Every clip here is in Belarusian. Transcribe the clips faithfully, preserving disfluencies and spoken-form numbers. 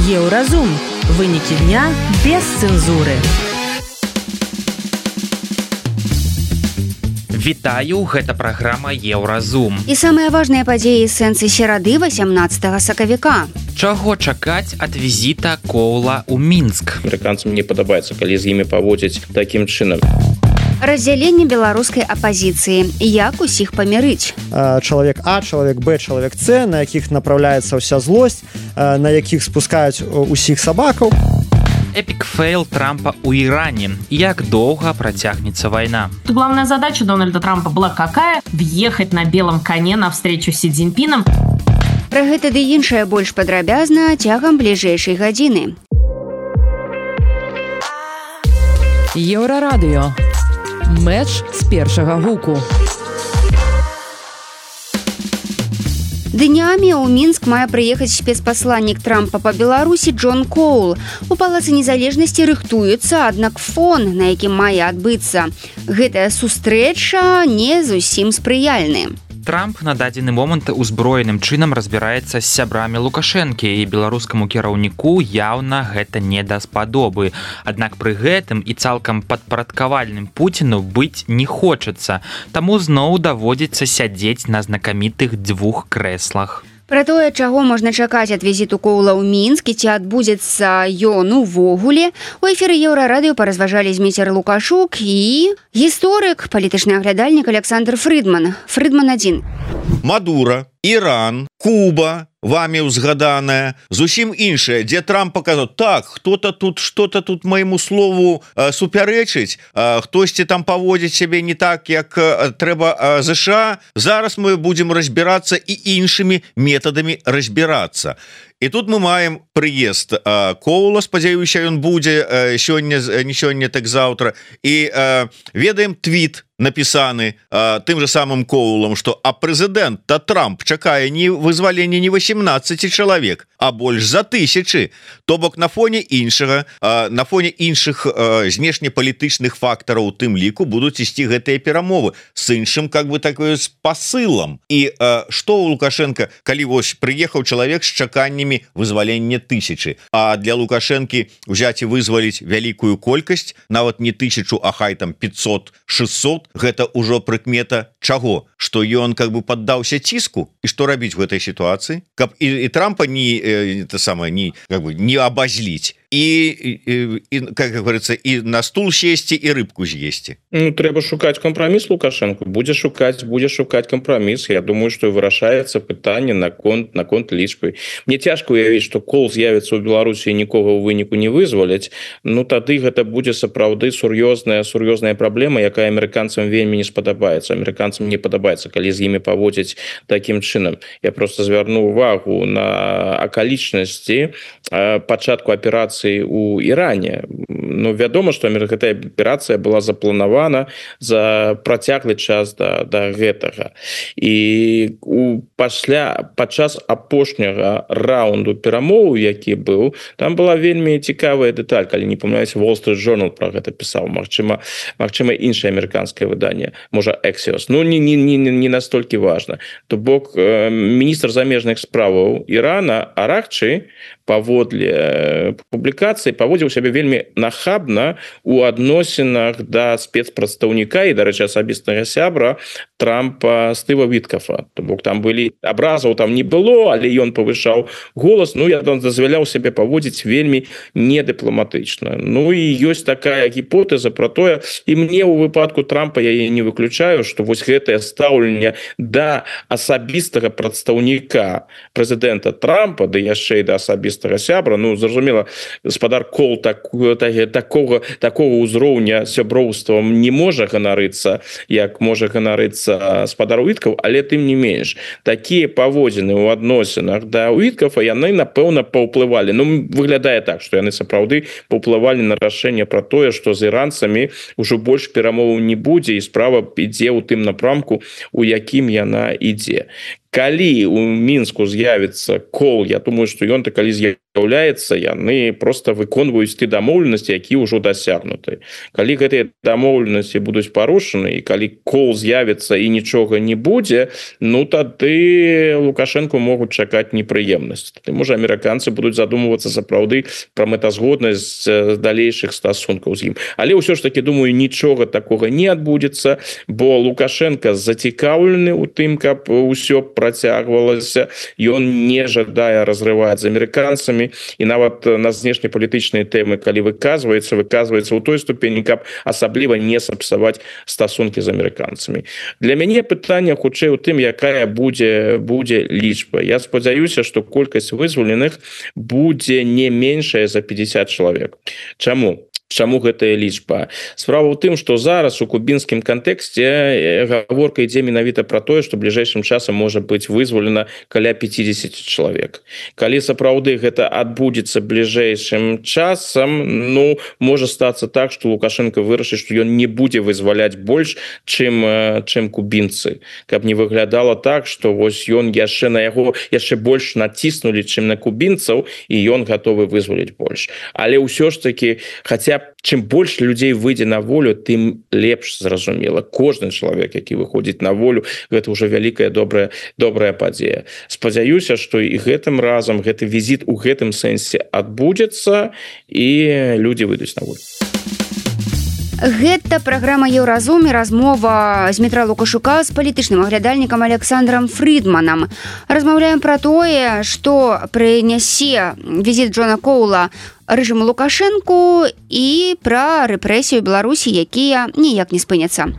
Еўразум. Вынікі дня без цэнзуры. Вітаю, гэта праграма Еўразум. І самыя важныя падзеі сэнсы серады васямнаццатага сакавіка. Чаго чакаць ад візіта Коула ў Мінск? Амерыканцам не падабаецца, калі з імі паводзяць такім чынам. Раздзяленне беларускай апазіцыі. Як усіх памірыць? Чалавек А, чалавек Б, чалавек С, на якіх направляецца ўся злосць, на якіх спускаюць усіх сабакаў. Эпик фейл Трампа у Иране. Як долго протягнется война? Главная задача Дональда Трампа была какая? Въехать на белом коне на встречу с Си Цзиньпином. Пра гэта ды іншае больш падрабязна цягам бліжэйшай гадзіны. Еўрарадыё. Мэч з першага гуку. Днямі ў Мінск мае прыехаць спецпасланнік Трампа па Беларусі Джон Коул. У Палацы незалежнасці рыхтуецца, аднак фон, на якім мае адбыцца. Гэтая сустрэча не зусім спрыяльны. Трамп на дадзены момант узброеным чынам разбіраецца з сябрамі Лукашэнкі, і беларускаму кіраўніку яўна гэта не даспадобы. Аднак пры гэтым і цалкам падпарадкавальным Пуціну быць не хочацца, таму зноў даводзіцца сядзець на знакамітых дзвюх крэслах. Пра тое, чаго можна чакаць ад візіту Коула ў Мінск і ці адбудзецца ён увогуле, у эфіры Еўрарадыё паразважалі Зміцер Лукашук і гісторык, палітычны аглядальнік Александр Фрыдман. Фрыдман адзін. Мадура, Іран, Куба, вами узгаданая, зусім іншая, дзе Трамп паказаў, так, хто-то тут, что-то тут майму слову э, супярэчыць, э, хтосьці там паводзіць сябе не так, як э, трэба э, ЗША, зараз мы будзем разбірацца і іншымі метадамі разбірацца. І тут мы маем прыезд э, Коула, спадзяюся, ён будзе э, сёння, не сёння, так заўтра, і э, ведаем твіт напісаны э, тым же самым Коулам, што а прэзідэнт та Трамп чакае не вызвалення не васемнаццаці чалавек, а больш за тысячы. То бок на фоне іншага, э, на фоне іншых э, знешнепалітычных фактараў у тым ліку будуць ісці гэтыя перамовы з іншым, как бы такое з пасылам. І э, што у Лукашенко, калі вось прыехаў чалавек з чаканнямі вызвалення тысячы, а для Лукашэнкі ўзяць і вызваліць вялікую колькасць, нават не тысячу, а хай там пятьсот шестьсот, гэта ўжо прыкмета чаго? Што ён как бы паддаўся ціску? І што рабіць в этой сітуацыі? Каб і, і Трампа не, это самое, не, как бы, не абазліць. І, і, і, как говорится, і на стул сесці, і рыбку з'есці. Ну, трэба шукаць кампраміс Лукашенко. Будзе шукаць, будзе шукаць кампраміс. Я думаю, што вырашаецца пытанне наконт, наконт лічбы. Мне цяжка уявіць, што Коул з'явіцца ў Беларусі і нікога ў выніку не вызваляць. Ну, тады гэта будзе сапраўды сур'ёзная, сур'ёзная праблема, якая амерыканцам вельмі не спадабаецца. Амерыканцам не падабаецца, калі з імі паводзяць такім чынам. Я просто звярну увагу на акалічнасці пачатку аперацыі у Іране. Ну, вядома, што гэтая аперацыя была запланавана за працяглы час да, да гэтага. І у, пасля, падчас апошняга раунду перамоў, які быў, там была вельмі цікавая дэталь, калі не памыляюся, Wall Street Journal пра гэта пісаў, магчыма, магчыма іншае амерыканскае выданне, можа Axios. Ну, не, не, не, не настолькі важна. То бок, э, міністр замежных справаў Ірана Аракчы паводле публікацыі паводзіў сябе вельмі нахабна у адносінах да спецпрадстаўніка і, дарэчы, асабістага сябра Трампа Стыва Віткафа. То бок там былі абразаў там не было, але ён павышаў голас, ну, я там дазваляў сябе паводзіць вельмі недыпламатычна. Ну, і ёсць такая гіпотэза пра тое, і мне ў выпадку Трампа я яе не выключаю, што вось гэтае стаўленне да асабістага прадстаўніка прэзідэнта Трампа, да яшчэ і да асабістага сябра, ну, зразумела, гаспадар Коул так, так, такого, такого ўзроўня сяброўствам не можа ганарыцца, як можа ганарыцца гаспадар Уіткаф, але тым не менш, такія паводзіны ў адносінах да Уіткафа, яны, напэўна, паўплывалі. Ну, выглядае так, што яны сапраўды паўплывалі на рашэнне пра тое, што з іранцамі ўжо больш перамоваў не будзе, і справа ідзе ў тым напрамку, у якім яна ідзе. Калі у Мінску з'явіцца Коул, я думаю, што ён-то калі з'яўляецца яны просто выконваюць ты дамоўленасці які ўжо дасягнуты калі гэтыя дамоўленасці будуць парушаны і калі кол з'явіцца і нічога не будзе ну тады Лукашенко могуць чакаць непрыемнасць ты можа амерыканцы будуць задумвацца сапраўды пра мэтазгоднасць далейшых стасункаў з ім але ўсё ж таки думаю нічога такога не адбудзецца бо Лукашенко зацікаўлены у тым каб усё працягвалася ён не жадае разрываць з амерыканцамі і нават на знешнепалітычныя тэмы калі выказваецца выказваецца ў той ступені каб асабліва не сапсаваць стасункі з амерыканцамі для мяне пытанне хутчэй у тым якая будзе будзе лічба я спадзяюся што колькасць вызваленых будзе не меншая за пятьдесят чалавек чаму Чаму гэтая лічба справа ў тым што зараз у кубінскім кантэксце гаворка ідзе менавіта пра тое што бліжэйшым часам можа быць вызвалена каля пятьдесят чалавек калі сапраўды гэта адбудзецца бліжэйшым часам ну можа стацца так што Лукашенко вырашыць што ён не будзе вызваляць больш чым чым кубінцы каб не выглядала так што вось ён яшчэ на яго яшчэ больш націснулі чым на кубінцаў і ён гатовы вызваліць больш але ўсё ж таки хаця чым больш людзей выйдзе на волю тым лепш зразумела кожны чалавек які выходзіць на волю гэта ўжо вялікая добрая добрая падзея спадзяюся што і гэтым разам гэты візіт у гэтым сэнсе адбудзецца і людзі выйдуць на волю Гэта праграма Еўразум і размова з Дмітра Лукашука з палітычным аглядальнікам Александром Фридманам. Размаўляем пра тое, што прынясе візіт Джона Коула рэжыму Лукашэнку і пра рэпрэсію Беларусі, якія ніяк не спыняцца.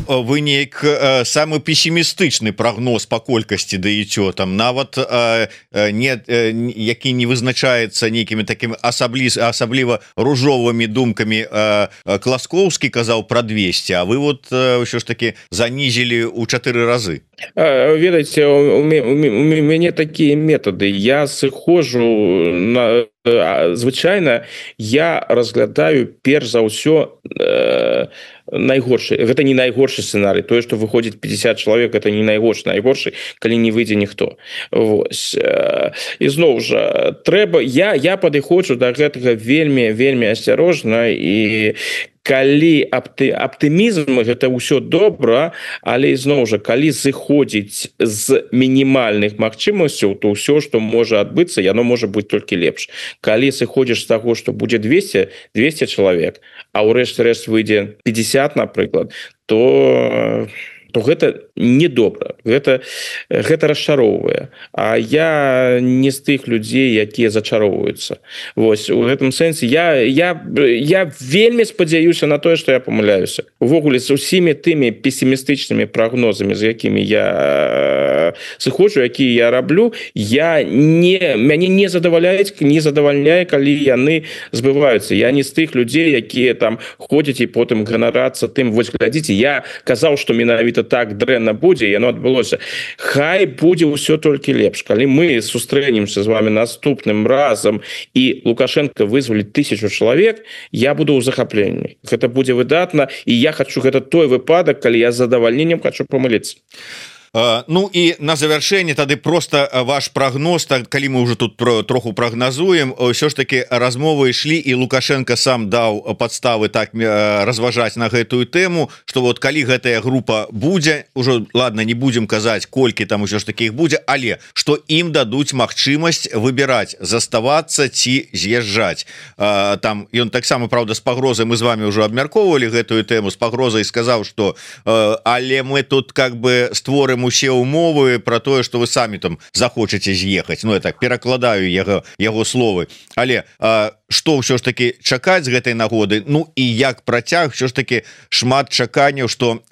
Вы неяк э, самы пессімістычны прагноз па колькасці даеце там нават э, не э, які не вызначаецца нейкімі такімі асаблі асабліва ружовымі думкамі э, Класкоўскі казаў пра двести а вы вот э, ўсё ж таки занізілі ў чатыры разы ведаеце у мяне такія метады я сыходжу на звычайна я разглядаю перш за ўсё э, найгоршы гэта не найгоршы сцэнарый тое што выходзіць пятьдесят чалавек это не найгоршы найгоршы калі не выйдзе ніхто вось і зноў жа трэба я я падыходжу да гэтага вельмі вельмі асцярожна і калі апты, аптымізм гэта ўсё добра але зноў жа калі зыходзіць з мінімальных магчымасцяў то ўсё што можа адбыцца яно можа быць толькі лепш калі сыходзіш з таго што будзе двести двести чалавек а ў рэшце рэшт выйдзе пятьдесят напрыклад то то гэта недобра гэта гэта расчароўвае а я не з тых людзей якія зачароўваюцца вось у гэтым сэнсе я я я вельмі спадзяюся на тое што я памыляюся увогуле з усімі тымі пессімістычнымі прагнозамі з якімі я сыходжу якія я раблю я не мяне не задаваляюць не задавальняе калі яны збываюцца я не з тых людзей якія там ходзяць і потым ганарацца тым вось глядзіце я казаў што менавіта так дрэнна будзе яно адбылося хай будзе ўсё толькі лепш калі мы сустрэнемся з вами наступным разам і Лукашенко вызваліць тысячу чалавек я буду ў захапленні гэта будзе выдатна і я хочу гэта той выпадак калі я з задавальненнем хочу памыліцца Ну і на завяршэнне тады просто ваш прогноз так калі мы уже тут про, троху прогнозуем ўсё ж таки размовы ішлі і Лукашенко сам даў подставы так разважаць на гэтую тэму что вот калі гэтая група будзе уже ладно не будем казаць колькі там усё ж таки іх будзе але что ім дадуць магчымасць выбіраць заставацца ці з'язджаць там ён таксама правда з пагрозай мы з вами уже абмяркоўвалі гэтую тэму з пагрозай сказаў что але мы тут как бы створым усе умовы про тое что вы самі там захочаце з'ехаць Ну я так перакладаю яго яго словы але а, что ўсё ж таки чакаць з гэтай нагоды Ну і як працяг все ж таки шмат чаканняў что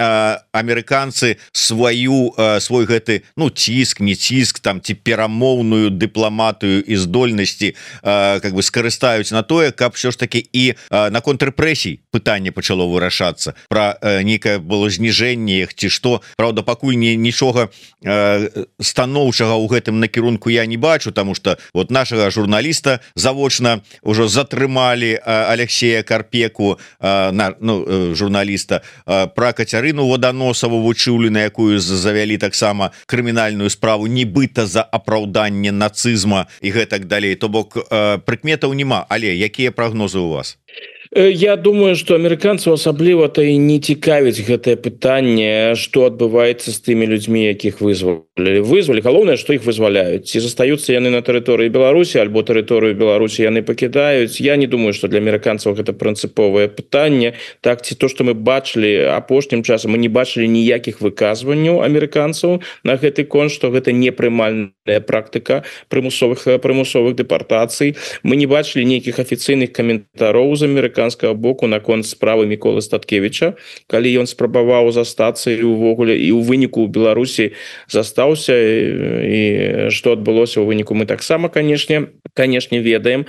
амерыканцы сваю а, свой гэты ну ціск не ціск там ці перамоўную дыпламатыю і здольнасці а, как бы скарыстаюць на тое каб все ж таки і а, наконт рэпрэсій пытанне пачало вырашацца про нейкае было зніжэнне іх ці што Праўда пакуль не нічога станоўчага ў гэтым накірунку я не бачу тому что вот нашага журналіста завочна ўжо затрымалі Алексея Карпеку, на, ну, журналіста, пра Кацярыну Ваданосаву Вучыўлю, на якую завялі таксама крымінальную справу нібыта за апраўданне нацызма і гэтак далей. То бок прыкметаў няма, але якія прагнозы у вас? Я думаю, что амерыканцаў асабліва-то і не цікавіць гэтае пытанне, што адбываецца з тымі людзьмі, якіх вызвалі. Вызвалі, галоўнае, што іх вызваляюць. Ці застаюцца яны на тэрыторыі Беларусі, альбо тэрыторыю Беларусі яны пакідаюць. Я не думаю, што для амерыканцаў гэта прынцыповае пытанне. Так, ці то, што мы бачылі апошнім часам, мы не бачылі ніякіх выказванняў амерыканцаў на гэты конт, што гэта непрымальная практыка прымусовых прымусовых дэпартацый. Мы не бачылі нейкіх афіцыйных каментароў з амерыканцаў боку наконт справы Міколы Статкевіча, калі ён спрабаваў застацца і увогуле і ў выніку ў Беларусі застаўся, і што адбылося ў выніку мы таксама, канешне, канешне ведаем.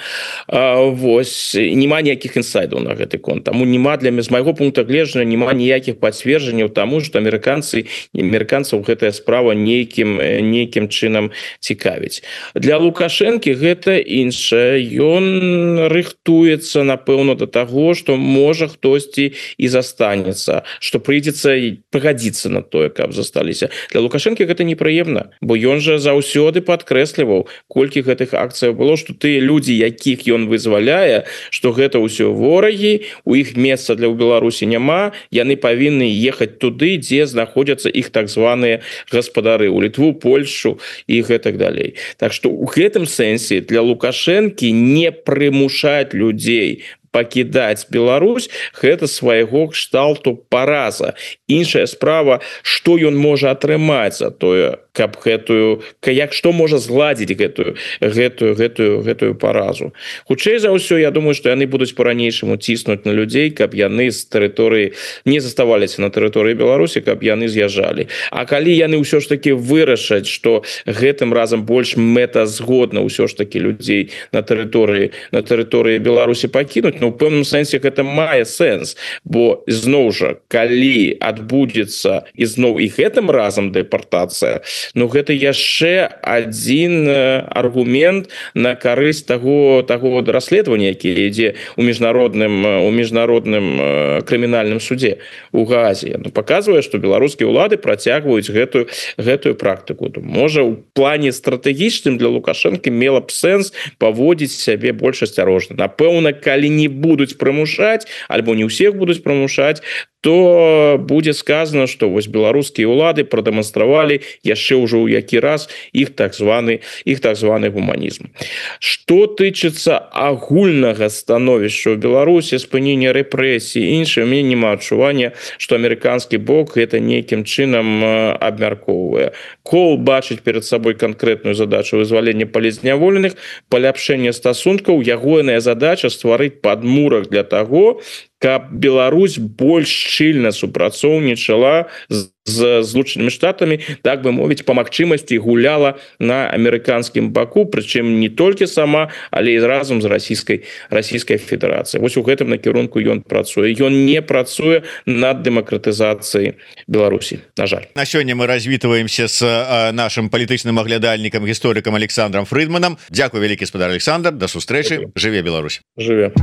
А, вось, няма ніякіх інсайдаў на гэты конт. Таму няма для з майго пункта гледжання няма ніякіх пацверджанняў таму, што амерыканцы амерыканцаў гэтая справа нейкім нейкім чынам цікавіць. Для Лукашэнкі гэта іншае. Ён рыхтуецца, напэўна, да того, что можа хтосьці і застанецца, что прыйдзецца пагадзіцца на тое, каб засталіся. Для Лукашэнкі гэта непрыемна, бо ён жа заўсёды падкрэсліваў, колькі гэтых акцыяў было, што тыя людзі, якіх ён вызваляе, што гэта ўсё ворагі, у іх месца для ў Беларусі няма, яны павінны ехаць туды, дзе знаходзяцца іх так званыя гаспадары, у Літву, Польшу і гэтак далей. Так што ў гэтым сэнсе для Лукашэнкі не прымушаць людзей пакідаць Беларусь, гэта свайго кшталту параза. Іншая справа, што ён можа атрымаць за тое, каб гэтую, як што можа згладзіць гэтую гэтую гэтую гэтую паразу. Хутчэй за ўсё, я думаю, што яны будуць по-ранейшаму ціснуць на людзей, каб яны з тэрыторыі не заставаліся на тэрыторыі Беларусі, каб яны з'язджалі. А калі яны ўсё ж таки вырашаць, што гэтым разам больш мэтазгодна ўсё ж таки людзей на тэрыторыі на тэрыторыі Беларусі пакінуць, ну, у пэўным сэнсе гэта мае сэнс, бо зноў жа, калі адбудзецца і зноў і гэтым разам дэпартацыя, ну гэта яшчэ адзін аргумент на карысць таго таго расследавання, які ідзе у міжнародным у міжнародным крымінальным суде у Гаазе. Ну, паказвае, што беларускія ўлады працягваюць гэтую гэтую практыку. Можа, у плане стратэгічным для Лукашэнкі мела б сэнс паводзіць сябе больш асцярожна. Напэўна, калі не будуць прымушаць, альбо не ўсіх будуць прымушаць, то будзе сказано, што вось беларускія ўлады прадэманстравалі яшчэ ўжо ў які раз іх так званы іх так званы гуманізм. Што тычыцца агульнага становішча ў Беларусі, спынення рэпрэсій, іншае, у мяне няма адчування, што амерыканскі бок гэта нейкім чынам абмяркоўвае. Кол бачыць перад сабой канкрэтную задачу вызвалення палізняволеных, паляпшэння стасункаў, ягоная задача стварыць падмурак для таго, каб Беларусь больш шчыльна супрацоўнічала з, з Злучанымі Штатамі, так бы мовіць, па магчымасці гуляла на амерыканскім баку, прычым не толькі сама, але і разам з расійскай расійскай федэрацыяй. Вось у гэтым накірунку ён працуе. Ён не працуе над дэмакратызацыяй Беларусі, на жаль. На сёння мы развітваемся з а, нашим палітычным аглядальнікам, гісторыкам Александром Фрыдманам. Дзякуй вялікі, спадар Александр, да сустрэчы. Жыве Беларусь. Жыве.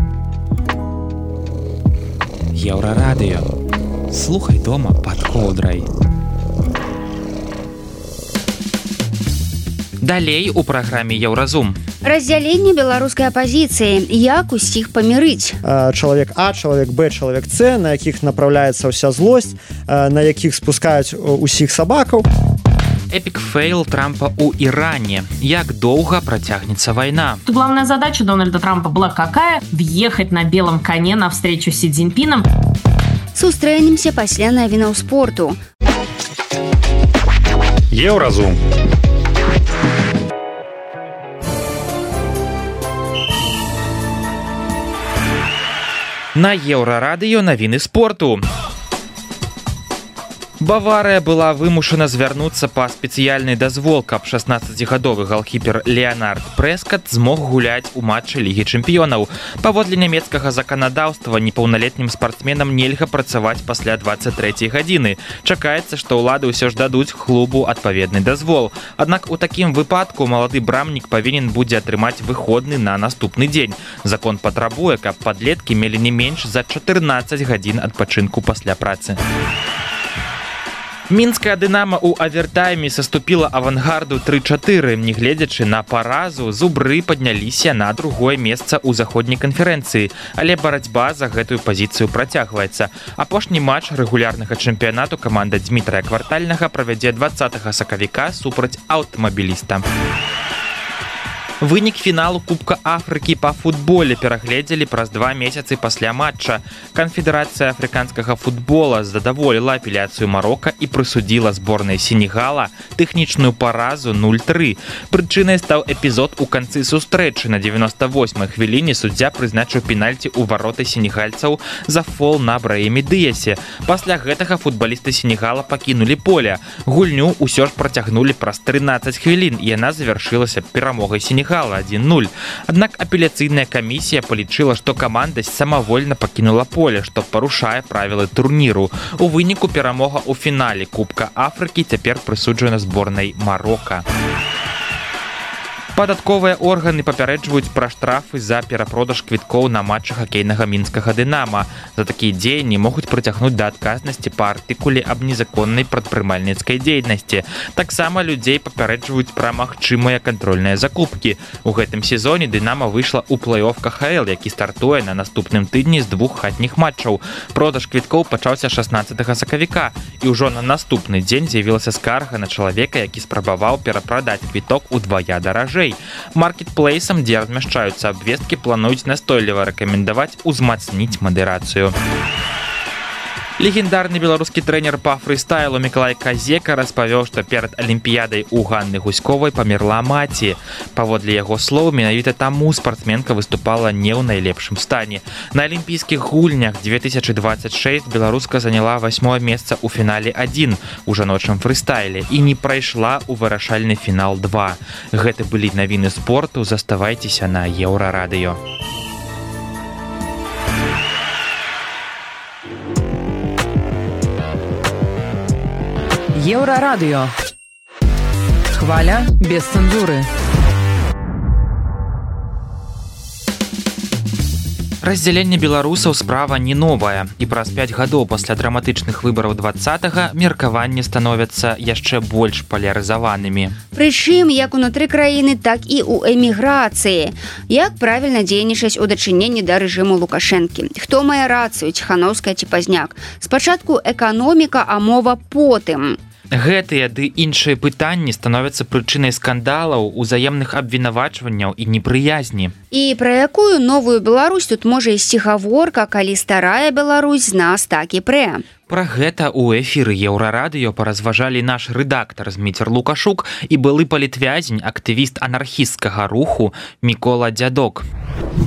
Еўрарадыё. Слухай дома пад коўдрай. Далей у праграме Еўразум. Раздзяленне беларускай апазіцыі. Як усіх памірыць? Чалавек А, чалавек Б, чалавек С, на якіх направляецца ўся злосць, на якіх спускаюць усіх сабакаў. Эпик фейл Трампа у Иране. Як долго протягнется война? Главная задача Дональда Трампа была какая? Въехать на белом коне на встречу с Си Цзиньпином. Сустрэнемся пасля навінаў спорту. Еўразум. На Еўрарадыё навіны спорту. Баварыя была вымушана звярнуцца па спецыяльны дазвол, каб шаснаццацігадовы галкіпер Леонард Прэскат змог гуляць у матчы Лігі чэмпіёнаў. Паводле нямецкага заканадаўства непаўналетнім спартсменам нельга працаваць пасля дваццаць трэцяй гадзіны. Чакаецца, што ўлады ўсё ж дадуць клубу адпаведны дазвол. Аднак у такім выпадку малады брамнік павінен будзе атрымаць выходны на наступны дзень. Закон патрабуе, каб падлеткі мелі не менш за чатырнаццаць гадзін адпачынку пасля працы. Мінская «Дынама» у авертайме саступіла авангарду тры чатыры. Нягледзячы на паразу, зубры падняліся на другое месца ў заходняй канферэнцыі, але барацьба за гэтую пазіцыю працягваецца. Апошні матч рэгулярнага чэмпіянату каманда Дмітрая Квартальнага правядзе дваццатага сакавіка супраць аўтамабіліста. Вынік фіналу Кубка Афрыкі па футболе перагледзелі праз два месяцы пасля матча. Канфедэрацыя афрыканскага футбола задаволіла апеляцыю Марока і прысудзіла зборнай Сенегала тэхнічную паразу нуль тры. Прычынай стаў эпізод у канцы сустрэчы. На дзевяноста восьмай хвіліне суддзя прызначыў пенальці ў вароты сенегальцаў за фол на Браіме Дыясе. Пасля гэтага футбалісты Сенегала пакінулі поле. Гульню ўсё ж працягнулі праз трынаццаць хвілін, і яна завяршылася перамогай Сенегала адзін нуль. Аднак апеляцыйная камісія палічыла, што каманда самавольна пакінула поле, што парушае правілы турніру. У выніку перамога ў фінале Кубка Афрыкі цяпер прысуджана зборнай Марока. Падатковыя органы папярэджваюць пра штрафы за перапродаж квіткоў на матчы хакейнага мінскага «Дынама». За такія дзеянні могуць прыцягнуць да адказнасці па артыкуле аб незаконнай прадпрымальніцкай дзейнасці. Таксама людзей папярэджваюць пра магчымыя кантрольныя закупкі. У гэтым сезоне «Дынама» выйшла ў плэй-оф ка ха эл, які стартуе на наступным тыдні з двух хатніх матчаў. Продаж квіткоў пачаўся шаснаццатага сакавіка, і ўжо на наступны дзень з'явілася скарга на чалавека, які спрабаваў перапрадаць квіток удвая даражэй. Маркетплейсам, дзе размяшчаюцца абвесткі, плануюць настойліва рэкамендаваць узмацніць мадэрацыю. Легендарны беларускі трэнер па фрыстайлу Мікалай Казека распавёў, што перад алімпіядай у Ганны Гуськовай памерла маці. Паводле яго слоў, менавіта таму спартсменка выступала не ў найлепшым стане. На алімпійскіх гульнях две тысячы дваццаць шэсць беларуска заняла васьмое месца ў фінале адзін у жаночым фрыстайле і не прайшла ў вырашальны фінал два. Гэта былі навіны спорту, заставайцеся на Еўрарадыё. Еўрарадыё. Хваля без цэнзуры. Раздзяленне беларусаў справа не новая, і праз пяць гадоў пасля драматычных выбараў двадцатага меркаванні становяцца яшчэ больш палярызаванымі. Прычым як унутры краіны, так і ў эміграцыі. Як правільна дзейнічаць у дачыненні да рэжыму Лукашэнкі? Хто мае рацыю, Ціханаўская ці Пазняк? Спачатку эканоміка, а мова потым. Гэтыя ды іншыя пытанні становяцца прычынай скандалаў, узаемных абвінавачванняў і непрыязні. І пра якую новую Беларусь тут можа ісці гаворка, калі старая Беларусь з нас так і прэ? Пра гэта ў эфіры Еўрарадыё паразважалі наш рэдактар Зміцер Лукашук і былы палітвязень, актывіст анархісцкага руху Мікола Дзядок.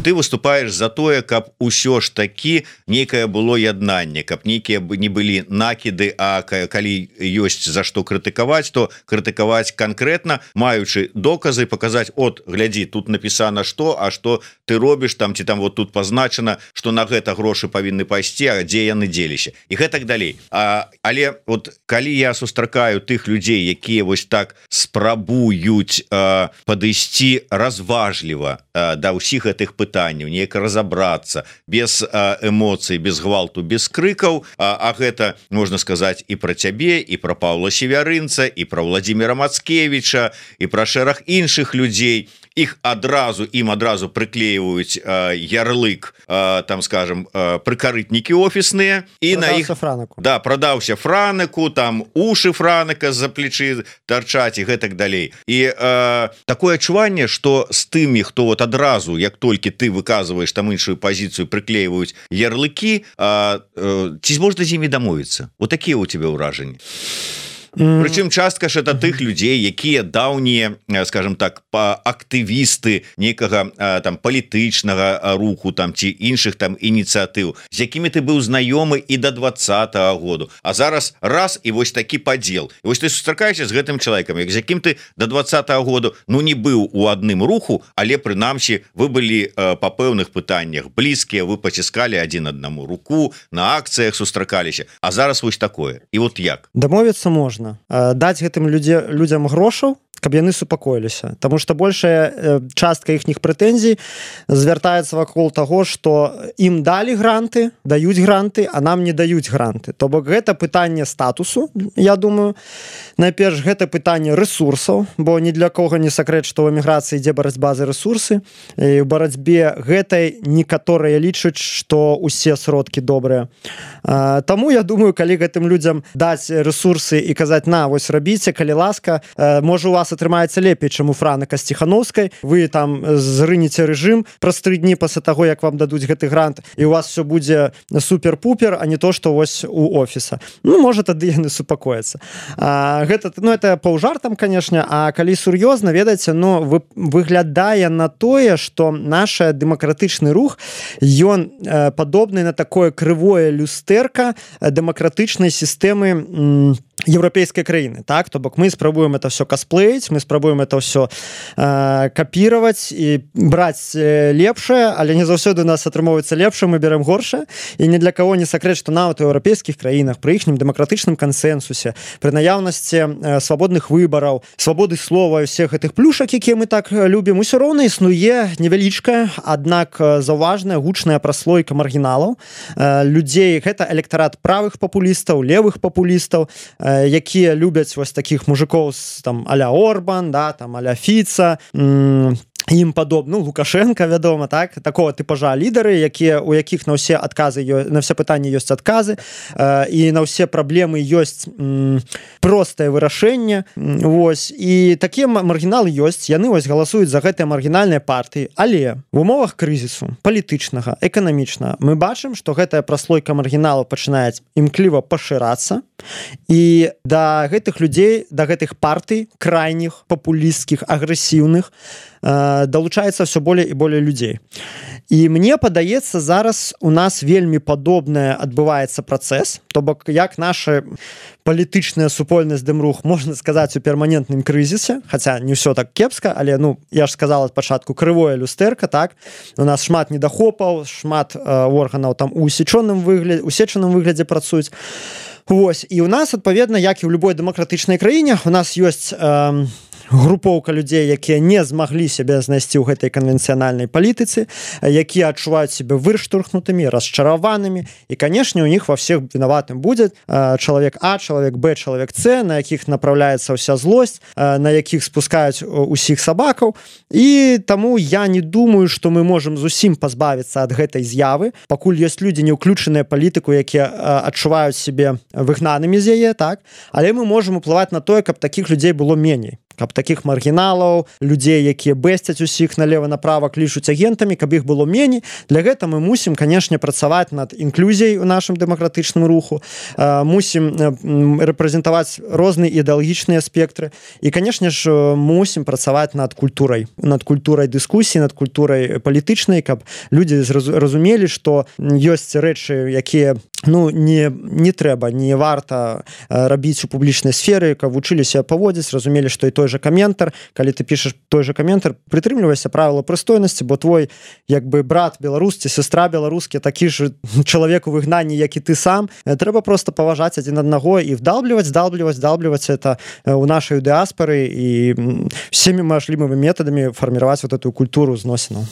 Ты выступаеш за тое, каб усё ж такі нейкае было яднанне, каб нейкія не былі накіды, а калі ёсць за што крытыкаваць, то крытыкаваць канкрэтна, маючы доказы, паказаць: от, глядзі, тут напісана што, а што ты робіш там, ці там вот тут пазначана, што на гэта грошы павінны пайсці, а дзе яны дзеліся, і гэтак далей. А, але вот калі я сустракаю тых людзей, якія вось так спрабуюць а, падысці разважліва а, да ўсіх гэтых пытанняў, неяк разабрацца без а, эмоцый, без гвалту, без крыкаў, а, а гэта можна сказаць і пра цябе, і пра Паўла Севярынца, і пра Владзіміра Мацкевіча, і пра шэраг іншых людзей. Іх адразу ім адразу прыклеиваюць э, ярлык, э, там скажем, э, прыкарытнікі офісныя, і на іх франаку. Да, прадаўся франаку, там ушы франака за плечы тарчаць і гэтак далей. І э, такое адчуванне, што з тымі, хто вот адразу, як толькі ты выказваеш там іншую пазіцыю, прыклеиваюць ярлыкі, э, э, ці можна з імі дамовіцца? Вот такія у тебе ўражанні. mm. Прычым частка ж это тых людзей, якія даўнія, скажем так, актывісты некага там палітычнага руху там ці іншых там ініцыятыў, з якімі ты быў знаёмы і да двадцатага году, а зараз раз і вось такі падзел. І вось ты сустракаешся з гэтым чалавекам, як з якім ты да двадцатага году ну не быў у адным руху, але прынамсі вы былі па пэўных пытаннях блізкія, вы паціскалі адзін аднаму руку, на акцыях сустракаліся, а зараз вось такое. І вот як? Дамовіцца можна. Даць гэтым людзе, людзям грошаў, каб яны супакоіліся, тому что большая частка іхніх прэтэнзій звяртаецца вакол таго, што ім далі гранты, даюць гранты, а нам не даюць гранты. То бок гэта пытанне статусу, я думаю. Найперш гэта пытанне рэсурсаў, бо ні для кого не сакрэт, што ў эміграцыі ідзе барацьба за рэсурсы. І ў барацьбе гэтай некаторыя лічаць, што ўсе сродкі добрыя. Таму я думаю, калі гэтым людзям даць рэсурсы і казаць: на, вось рабіце, калі ласка, можа у вас атрымаецца лепей, чым у Франыка Сціхановскай, вы там зрынеце рэжым праз тры дні пасля таго, як вам дадуць гэты грант, і у вас все будзе супер-пупер, а не то, што вось у офіса. Ну, можа, тады яны супакояцца. Гэта, ну, это паўжартам, канешне, а калі сур'ёзна, ведаеце, ну, вы, выглядае на тое, што наш дэмакратычны рух, ён э, падобны на такое крывое люстэрка дэмакратычнай сістэмы м, еўрапейскай краіны, так? То бок мы спрабуем это все косплеить, мы спрабуем это все э, копировать и брать э, лепшее, але не заўсёды у нас атрымоўваецца лепшее, мы берем горшее, и ни для кого не сакрэт, што нават у еўрапейскіх краінах пры іхнім дэмакратычным кансенсусе, пры наяўнасці э, свабодных выбараў, свабоды слова і всех гэтых плюшак, якія мы так любім, усё роўна існуе невялічкая, аднак заўважная гучная праслойка маргіналаў, э, людзей, гэта электарат правых папулістаў, левых папулістаў, э, якія любяць вось такіх мужикоў там а-ля Орбан, да, там а-ля Фіца, м- ім падобны, ну, Лукашенко, вядома, так, такого типажа лідары, якія, у якіх на ўсе адказы, на ўсе пытанні ёсць адказы, э, і на ўсе праблемы ёсць м, простае вырашэнне, вось, і такія маргіналы ёсць, яны вось галасуюць за гэтыя маргінальныя партыі, але в умовах крызісу палітычнага, эканамічнага мы бачым, што гэтая праслойка маргіналаў пачынае імкліва пашырацца, і да гэтых людзей, да гэтых партый крайніх, папулісцкіх, агрэсіўных далучаецца все болей і болей людзей. І мне падаецца, зараз у нас вельмі падобнае адбываецца працэс, то бок як наша палітычная супольнасць Дэмрух, можна сказаць, у перманентным крызісе, хаця не ўсё так кепска, але, ну, я ж сказала ад пачатку, крывое люстэрка, так, у нас шмат недахопаў, шмат э, органаў там у усечаным выглядзе, усечаным выглядзе працуюць. Вось, і у нас, адпаведна, як і ў любой дэмакратычнай краіне, у нас ёсць э, групоўка людзей, якія не змаглі сябе знайсці ў гэтай канвенцыянальнай палітыцы, якія адчуваюць сябе вырштурхнутымі, расчараванымі, і, канешне, у них ва всех вінаватым будзе э, чалавек А, чалавек Б, чалавек С, на якіх направляецца ўся злосць, э, на якіх спускаюць усіх сабакаў, і таму я не думаю, што мы можам зусім пазбавіцца ад гэтай з'явы, пакуль ёсць людзі не ўключаныя палітыку, якія э, адчуваюць сябе выгнанымі з яе, так, але мы можам уплываць на тое, каб такіх людзей было меней, каб такіх маргіналаў, людзей, якія бэсцяць усіх налева-направа, клічуць агентамі, каб іх было меней. Для гэта мы мусім, канешне, працаваць над інклюзіяй у нашым дэмакратычным руху, мусім рэпрэзентаваць розныя ідэалагічныя спектры і, канешне ж, мусім працаваць над культурай, над культурай дыскусіі, над культурай палітычнай, каб людзі разумелі, што ёсць рэчы, якія, ну, не, не трэба, не варта рабіць у публічнай сферы, каб вучыліся паводзіць, разумелі, што і той же каментар, калі ты пішаш той же каментар, прытрымлівайся правіла прыстойнасці, бо твой, як бы, брат беларусці, сестра беларускі, такі ж чалавек у выгнанні, як і ты сам, трэба просто паважаць адзін аднаго і вдалбліваць, вдалбліваць, вдалбліваць это у нашай дыаспары і всеми мажлівымі метадамі фарміраваць вот эту культуру зносінаў.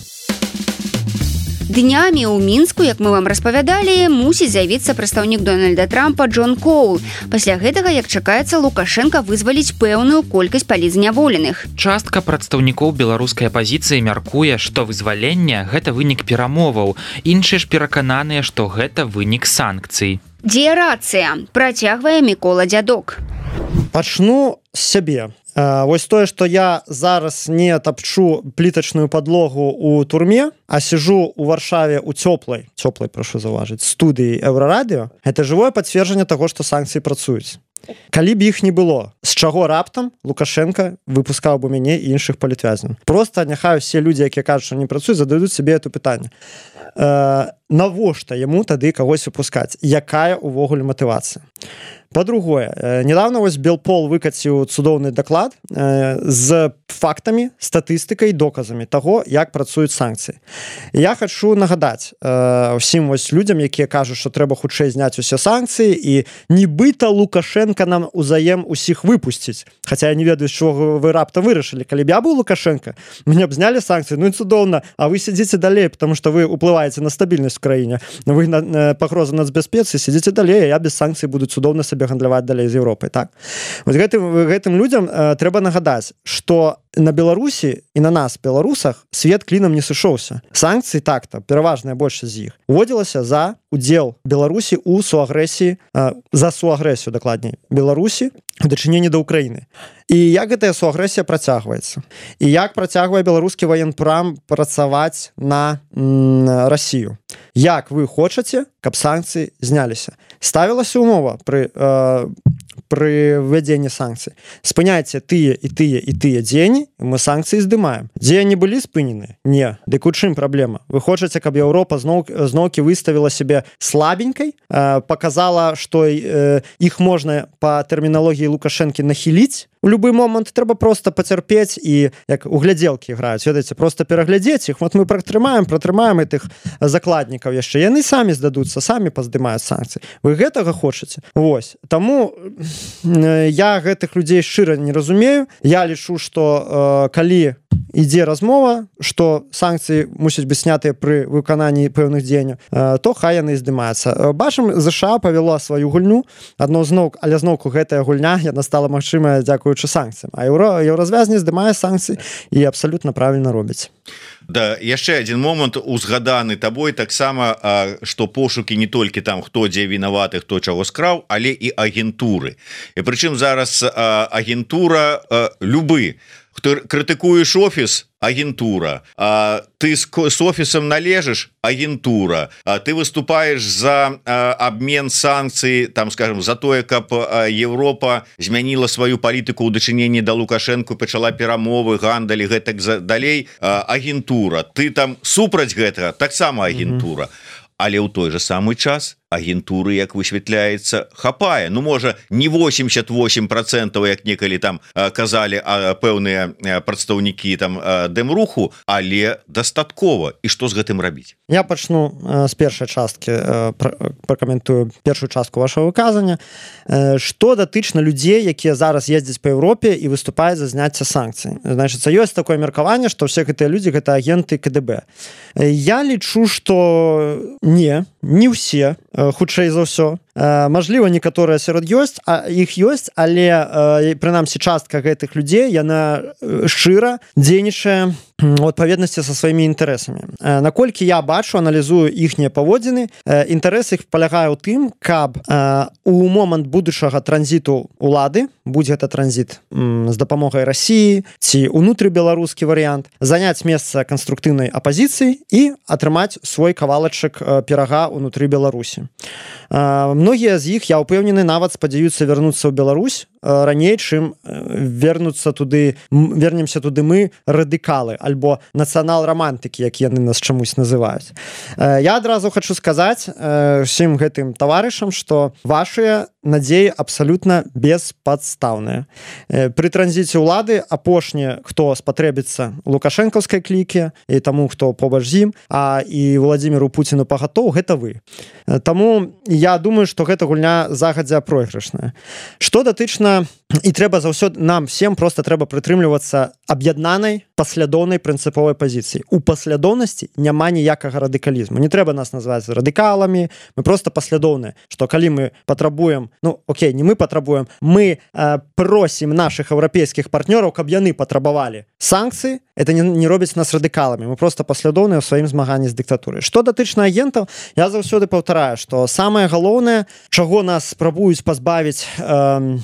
Днямі ў Мінску, як мы вам распавядалі, мусіць з'явіцца прадстаўнік Дональда Трампа Джон Коул. Пасля гэтага, як чакаецца, Лукашенка вызваліць пэўную колькасць палітзняволеных. Частка прадстаўнікоў беларускай апазіцыі мяркуе, што вызваленне – гэта вынік перамоваў. Іншыя ж перакананыя, што гэта вынік санкцый. Дзе рацыя? Працягвае Мікола Дзядок. Пачну з сябе. Вось тое, што я зараз не тапчу плітачную падлогу ў турме, а сижу у Варшаве у цёплай, цёплай, прашу заўважыць, студыі Еўрарадыё, гэта жывое пацверджанне таго, што санкцыі працуюць. Калі б іх не было, з чаго раптам Лукашенко выпускаў бы мяне і іншых палітвязняў? Просто няхай усе людзі, якія кажуць, што не працуюць, задаюць сабе это пытанне. Э, навошта яму тады кагось выпускаць? Якая ўвогуле матывацыя? По-другое, недавно вось Белпол выкаціў цудоўны даклад э, з фактамі, статыстыкай, доказамі таго, як працуюць санкцыі. Я хочу нагадаць э, усім вось людзям, якія кажуць, што трэба хутчэй зняць усе санкцыі і нібыта Лукашенко нам узаем усіх выпусціць. Хаця я не ведаю, з чого вы раптам вырашылі. Калі б я быў Лукашенко, мне б знялі санкцыі, ну і цудоўна, а вы сидзіце далей, потому что вы уплываеце на стабільнасць в краіне. Вы на пагрозу нацбяспецы, сидзіце далей, а я без санкцый буду цудоўна сабе гандляваць далей з Европай, так. Вот гэтым, гэтым людзям э, трэба нагадаць, што на Беларусі і на нас, беларусах, свет клінам не сышоўся. Санкцыі так-то, пераважная большасць з іх, уводзілася за удзел Беларусі ў суагрэсіі, э, за суагрэсію, дакладней, Беларусі у дачыненні да Украіны. І як гэтая суагрэсія працягваецца? І як працягвае беларускі ваенпрам працаваць на м, Расію? Як вы хочаце, каб санкцыі зняліся? Ставілася умова пры, э, пры ввядзенні санкцый. Спыняйце тыя і тыя і тыя дзеянні, мы санкцыі здымаем. Дзеянні былі спынены? Не. Дык у чым праблема? Вы хочаце, каб Еўропа зноў, зноўкі выставіла себе слабенькай, э, показала, што э, іх можна па тэрміналогіі Лукашэнкі нахіліць? У любы момант трэба просто пацярпець і як у глядзелкі граюць, ведаеце, просто пераглядзець іх. Вот мы пратрымаем, пратрымаем гэтых закладнікаў яшчэ. Яны самі здадуцца, самі паздымаюць санкцыі. Вы гэтага хочаце? Вось. Таму я гэтых людзей шчыра не разумею. Я лічу, што э, калі ідзе размова, што санкцыі мусяць быць снятыя пры выкананні пэўных дзеянняў, то хай яны здымаюцца. Бачым, ЗША павяла сваю гульню, адно зноў, але зноўку гэтая гульня яна стала магчымая дзякуючы санкцыям. А еўро, еўразвязні здымае санкцыі і абсалютна правільна робіць. Да, яшчэ один момант узгаданы табой таксама, што пошукі не толькі там хто дзе вінаваты, хто чаго скраў, але і агентуры. І прычым зараз агентура любы. Хто крытыкуеш офіс, агентура, а ты с, с офісам належыш, агентура, а ты выступаешь за а, обмен санкцый, там, скажем, за тое, каб а, Европа змяніла сваю палітыку ў дачыненні да Лукашэнку, пачала перамовы, гандаль, гэтак далей, а, агентура. Ты там супраць гэтага, таксама агентура. Mm-hmm. Але ў той же самы час агентуры, як высвятляецца, хапае. Ну, можа, не восемьдесят восемь процентов, як некалі там казалі пэўныя прадстаўнікі там дэмруху, але дастаткова. І што з гэтым рабіць? Я пачну з першай часткі, пракаментую першую частку вашего выказання. Што датычна людзей, якія зараз ездзяць па Еўропе і выступаюць за зняцце санкцый. Значыцца, ёсць такое меркаванне, што ўсе гэтыя людзі гэта агенты КДБ. Я лічу, што не, не ўсе, хутчэй за ўсё. Мажліва, некаторыя сярод ёсць, а іх ёсць, але прынамсі частка гэтых людзей яна шчыра дзейнічае у адпаведнасці са сваімі інтарэсамі. Наколькі я бачу, аналізую іхнія паводзіны, інтарэс іх палягае ў тым, каб у момант будучага транзіту улады, будь гэта транзіт з дапамогай Расіі ці унутры беларускі варыянт, заняць месца канструктыўнай апазіцыі і атрымаць свой кавалачак пірага ўнутры Беларусі. Многія з іх, я ўпэўнены, нават спадзяюцца вярнуцца ў Беларусь раней, чым вернуцца туды, вернемся туды мы, радыкалы, альбо нацыянал-рамантыкі, як яны нас чамусь называюць. Я адразу хочу сказаць усім гэтым таварышам, што вашыя надзеі абсалютна беспадстаўныя. Пры транзіце ўлады апошні, хто спатрэбіцца лукашэнкаўскай клікі і таму, хто побач з ім, а і Владзіміру Пуціну пагатоў, гэта вы. Таму я думаю, што гэта гульня загадзя пройгрышная. Што датычна, і трэба заўсёды нам всем просто трэба прытрымлівацца аб'яднанай паслядоўнай прынцыповай пазіцыі. У паслядоўнасці няма ніякага радыкалізму. Не трэба нас называць радыкаламі, мы просто паслядоўныя, што калі мы патрабуем, ну окей, не мы патрабуем, мы э, просім нашых еўрапейскіх партнёраў, каб яны патрабавалі санкцыі, это не, не робіць нас радыкаламі, мы просто паслядоўныя ў сваім змаганні з дыктатурай. Што датычна агентаў, я заўсёды паўтараю, што самае галоўнае, чаго нас спрабуюць пазбавіць э,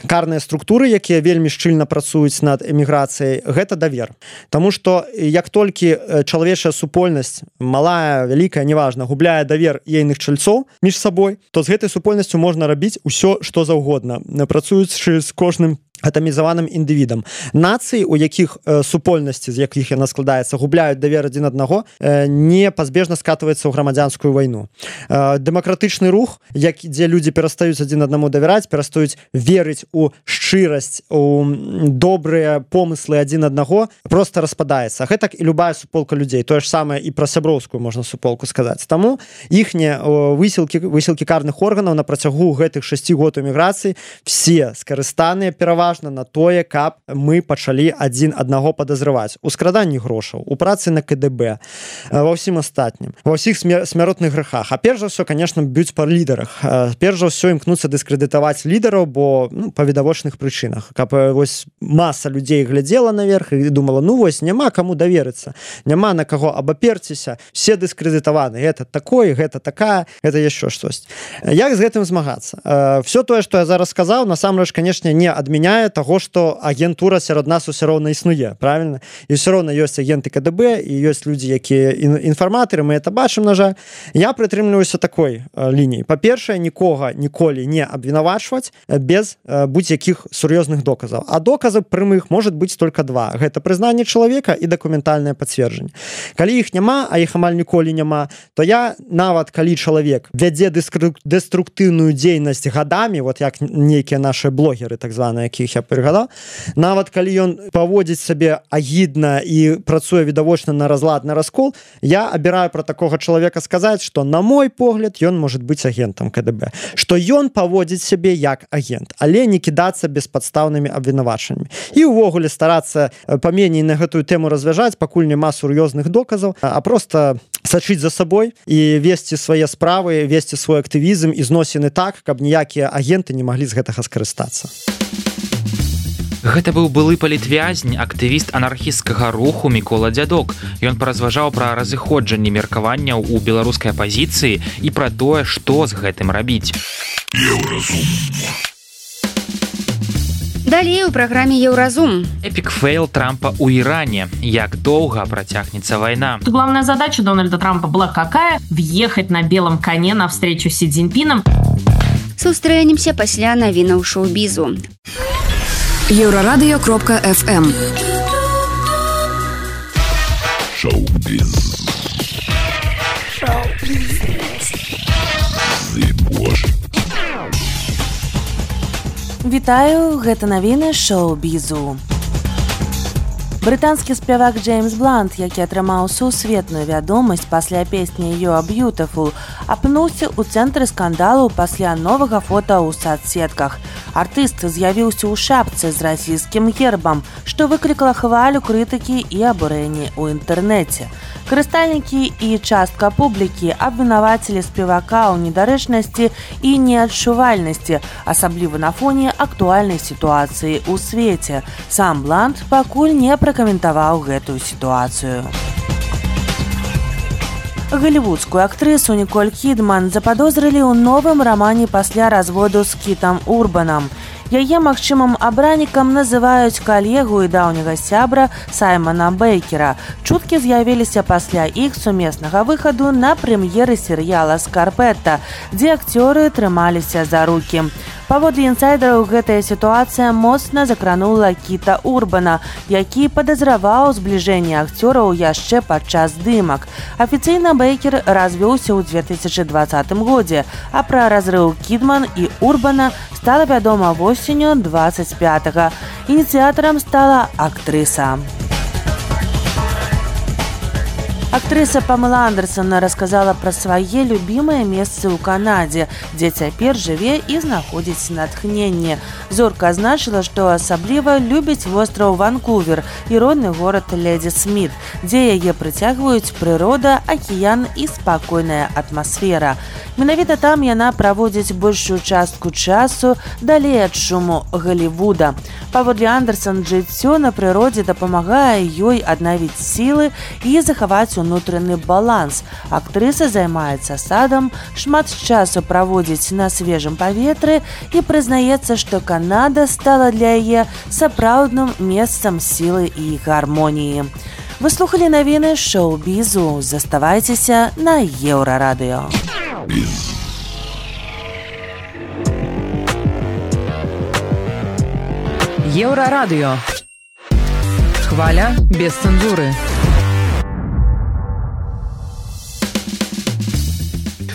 карныя структуры, якія вельмі шчыльна працуюць над эміграцыяй, гэта давер. Таму што як толькі чалавечая супольнасць, малая, вялікая, неважна, губляе давер ейных чальцоў між сабой, то з гэтай супольнасцю можна рабіць усё, што заўгодна, працуючы з кожным атамізаваным індывідам. Нацыі, у якіх э, супольнасці, з якіх яна складаецца, губляюць давер адзін аднаго, э, непазбежна скатваецца ў грамадзянскую вайну. Э, дэмакратычны рух, як, дзе людзі перастаюць адзін аднаму давяраць, перастаюць верыць у шчырасць, у добрыя помыслы адзін аднаго, проста распадаецца. Гэтак і любая суполка людзей. Тое ж самае і пра сяброўскую можна суполку сказаць. Таму іхнія высілкі, высілкі карных органаў на працягу гэтых шасці год эміграцыі все скарыстаныя пераважна на тое, каб мы пачалі адзін аднаго падазрываць у скраданні грошаў, у працы на ка дэ бэ, ва ўсім астатнім, ва ўсіх смяротных грэхах. А перш за ўсё, конечно, б'юць па лідарах. Перш за ўсё імкнуцца дыскрэдытаваць лідараў, бо ну, па відавочных прычынах. Каб вось маса людзей глядзела наверх і думала, ну вось, няма каму даверыцца, няма на каго абаперціся, все дыскрэдытаваны, гэта такое, гэта такая, гэта яшчэ штось. Як з гэтым змагацца? Все тое, што я зараз сказаў, насамрэч, канешне, не адмяняе того, што агентура сярод нас усё роўна існуе, правильно? І ўсё роўна ёсць агенты ка дэ бэ, і ёсць людзі, якія інфарматары, мы это бачым, на жаль. Я прытрымліваюся такой лініі. Па-першае, нікога ніколі не абвінавачваць без будь-якіх сур'ёзных доказаў. А доказаў прямых можа быць только два. Гэта прызнанне чалавека і дакументальнае пацверджанне. Калі іх няма, а іх амаль ніколі няма, то я, нават калі чалавек вядзе дэструктыўную дзейнасць гадамі, вот як нейкія нашыя блогеры, так званыя, якіх я прыгадаў, нават калі ён паводзіць сабе агідна і працуе відавочна на разлад, на раскол, я абіраю пра такога чалавека сказаць, што на мой погляд ён можа быць агентам ка дэ бэ, што ён паводзіць сябе як агент, але не кідацца беспадстаўнымі абвінавачаннямі. І ўвогуле старацца паменей на гэтую тэму развяжаць, пакуль няма сур'ёзных доказаў, а проста сачыць за сабой і весці свае справы, весці свой актывізм і зносіны так, каб ніякія агенты не маглі з гэтага скарыстацца. Гэта быў былы палітвязень, актывіст анархісцкага руху Мікола Дзядок. Ён паразважаў пра разыходжанне меркаванняў у беларускай апазіцыі і пра тое, што з гэтым рабіць. Далей у праграме Еўразум. Эпік фейл Трампа ў Иране. Як доўга працягнецца вайна? Главная задача Дональда Трампа была какая? Въехать на белом коне на встречу с Си Цзиньпином. Сустрэнемся пасля навінаў шоу-бізу. Еўрарадыё кропка эф эм. Шоу-біз. Шоу-біз. Боже. Вітаю, гэта навіны шоу-бізу. Брытанскі спявак Джеймс Блант, які атрымаў сусветную вядомасць пасля песні «You are beautiful», апынуўся ў цэнтры скандалу пасля новага фота ў сацсетках. Артыст з'явіўся ў шапцы з расійскім гербам, што выклікала хвалю крытыкі і абурэнні ў інтэрнэце. Карыстальнікі і частка публікі абвінавацілі спевака ў недарэчнасці і неадчувальнасці, асабліва на фоне актуальнай сітуацыі ў свеце. Сам Блант пакуль не пракаментаваў гэтую сітуацыю. Голливудскую актрысу Николь Кидман заподозрили ў новым рамане пасля разводу з Кітам Урбанам. Яе магчымым абранікам называюць калегу і даўняга сябра Саймона Бейкера. Чуткі з'явіліся пасля іх сумеснага выхаду на прэм'еры серыяла «Скарпетта», дзе акцёры трымаліся за рукі. Паводле інсайдераў, гэтая сітуацыя моцна закранула Кіта Урбана, які падазраваў збліжэнне акцёраў яшчэ падчас здымак. Афіцыйна Бейкер развёўся ў две тысячы двадцатым годзе, а пра разрыў Кідман і Урбана стала вядома восенню двадцать пятага. Ініцыятарам стала актрыса. Актрыса Памела Андерсон рассказала пра свае любімыя месцы ў Канадзе, дзе цяпер жыве і знаходзіць натхненне. Зорка азначыла, што асабліва любіць востраў Ванкувер і родны горад Леді Сміт, дзе яе прыцягваюць прырода, акіян і спакойная атмасфера. Менавіта там яна праводзіць большую частку часу далей ад шуму Голливуда. Паводле Андерсон, жыццё на прыродзе дапамагае ёй аднавіць сілы і захаваць унутраны баланс. Актрыса займаецца садам, шмат часу праводзіць на свежым паветры і прызнаецца, што Канада стала для яе сапраўдным месцам сілы і гармоніі. Вы слухалі навіны шоу-бізу. Заставайцеся на Еўрарадыё. Еўрарадыё. Хваля без цэнзуры.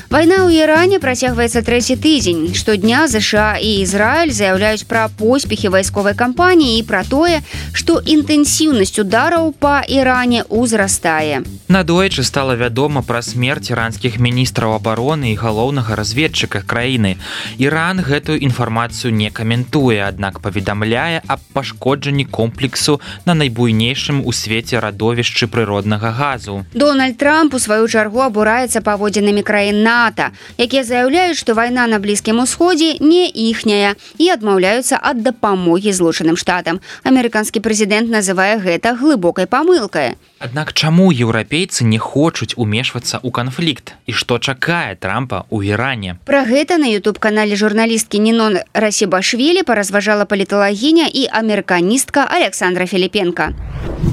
Вайна ў Іране працягваецца трэці тыдзень. Штодня ЗША і Ізраіль заяўляюць пра поспехі вайсковай кампаніі і пра тое, што інтэнсіўнасць удараў па Іране ўзрастае. Надоечы стала вядома пра смерць іранскіх міністраў абароны і галоўнага разведчыка краіны. Іран гэтую інфармацыю не каментуе, аднак паведамляе аб пашкоджанні комплексу на найбуйнейшым у свеце радовішчы прыроднага газу. Дональд Трамп у сваю чаргу абураецца паводзінамі краін НАТО, якія заяўляюць, што вайна на Блізкім Усходзе не іхняя і адмаўляюцца ад дапамогі Злучаным Штатам. Амерыканскі прэзідэнт называе гэта глыбокай памылкай. Аднак чаму еўрапейцы не хочуць умешвацца ў канфлікт? І што чакае Трампа ў Іране? Пра гэта на ютуб-канале журналісткі Нінон Расібашвілі паразважала паліталагіня і амерыканістка Александра Филипенко.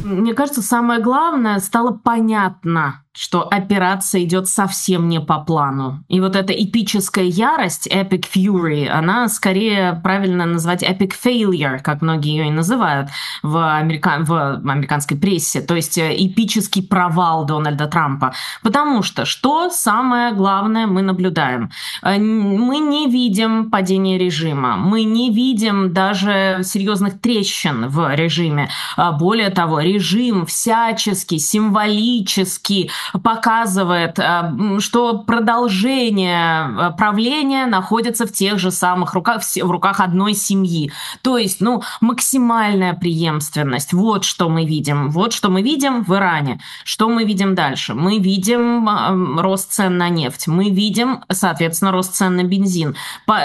Мне кажется, самое главное, стало понятно, что операция идет совсем не по плану. И вот эта эпическая ярость, epic fury, она скорее правильно назвать epic failure, как многие ее и называют в, америка... в американской прессе. То есть эпический провал Дональда Трампа. Потому что, что самое главное мы наблюдаем? Мы не видим падения режима. Мы не видим даже серьезных трещин в режиме. Более того, режим всячески, символически показывает, что продолжение правления находится в тех же самых руках, в руках одной семьи. То есть, ну, максимальная преемственность. Вот что мы видим. Вот что мы видим в Иране. Что мы видим дальше? Мы видим рост цен на нефть. Мы видим, соответственно, рост цен на бензин.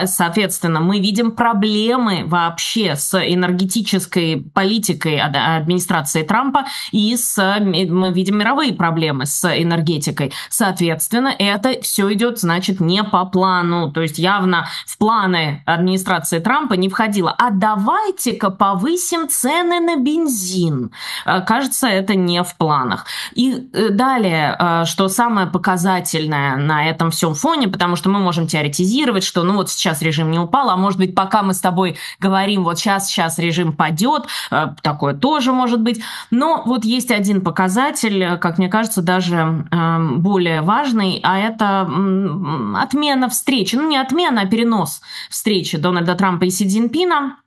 Соответственно, мы видим проблемы вообще с энергетической политикой администрации Трампа и с, мы видим мировые проблемы с энергетикой. Соответственно, это все идет, значит, не по плану. То есть явно в планы администрации Трампа не входило. А давайте-ка повысим цены на бензин. Кажется, это не в планах. И далее, что самое показательное на этом всем фоне, потому что мы можем теоретизировать, что ну вот сейчас режим не упал, а может быть, пока мы с тобой говорим, вот сейчас, сейчас режим падет, такое тоже может быть. Но вот есть один показатель, как мне кажется, даже более важный, а это отмена встречи. Ну, не отмена, а перенос встречи Дональда Трампа и Си Цзиньпина.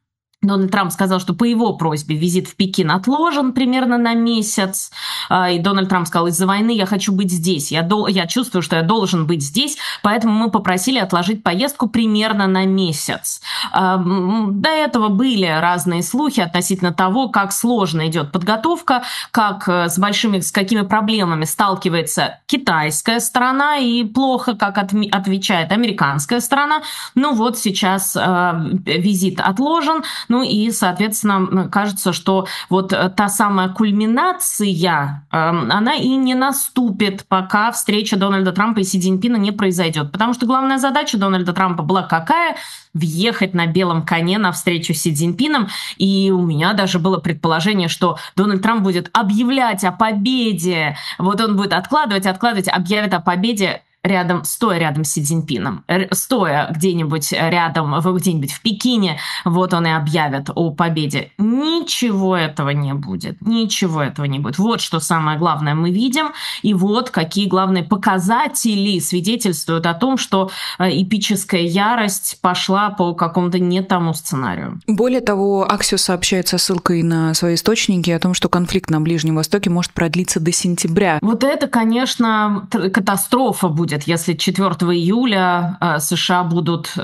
Дональд Трамп сказал, что по его просьбе визит в Пекин отложен примерно на месяц. И Дональд Трамп сказал, из-за войны я хочу быть здесь. Я, дол- я чувствую, что я должен быть здесь, поэтому мы попросили отложить поездку примерно на месяц. До этого были разные слухи относительно того, как сложно идет подготовка, как с большими, с какими проблемами сталкивается китайская сторона и плохо, как отми- отвечает американская сторона. Ну вот сейчас визит отложен. Ну и, соответственно, кажется, что вот та самая кульминация, она и не наступит, пока встреча Дональда Трампа и Си Цзиньпина не произойдет. Потому что главная задача Дональда Трампа была какая? Въехать на белом коне на встречу с Си Цзиньпином. И у меня даже было предположение, что Дональд Трамп будет объявлять о победе. Вот он будет откладывать, откладывать, объявит о победе рядом, стоя рядом с Си Цзиньпином, стоя где-нибудь рядом, где-нибудь в Пекине, вот он и объявит о победе. Ничего этого не будет. Ничего этого не будет. Вот что самое главное мы видим, и вот какие главные показатели свидетельствуют о том, что эпическая ярость пошла по какому-то не тому сценарию. Более того, Axios сообщает со ссылкой на свои источники о том, что конфликт на Ближнем Востоке может продлиться до сентября. Вот это, конечно, катастрофа будет будет, если четвёртого июля США будут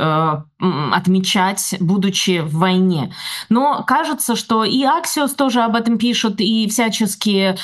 отмечать, будучи в войне. Но кажется, что и Axios тоже об этом пишут, и всяческие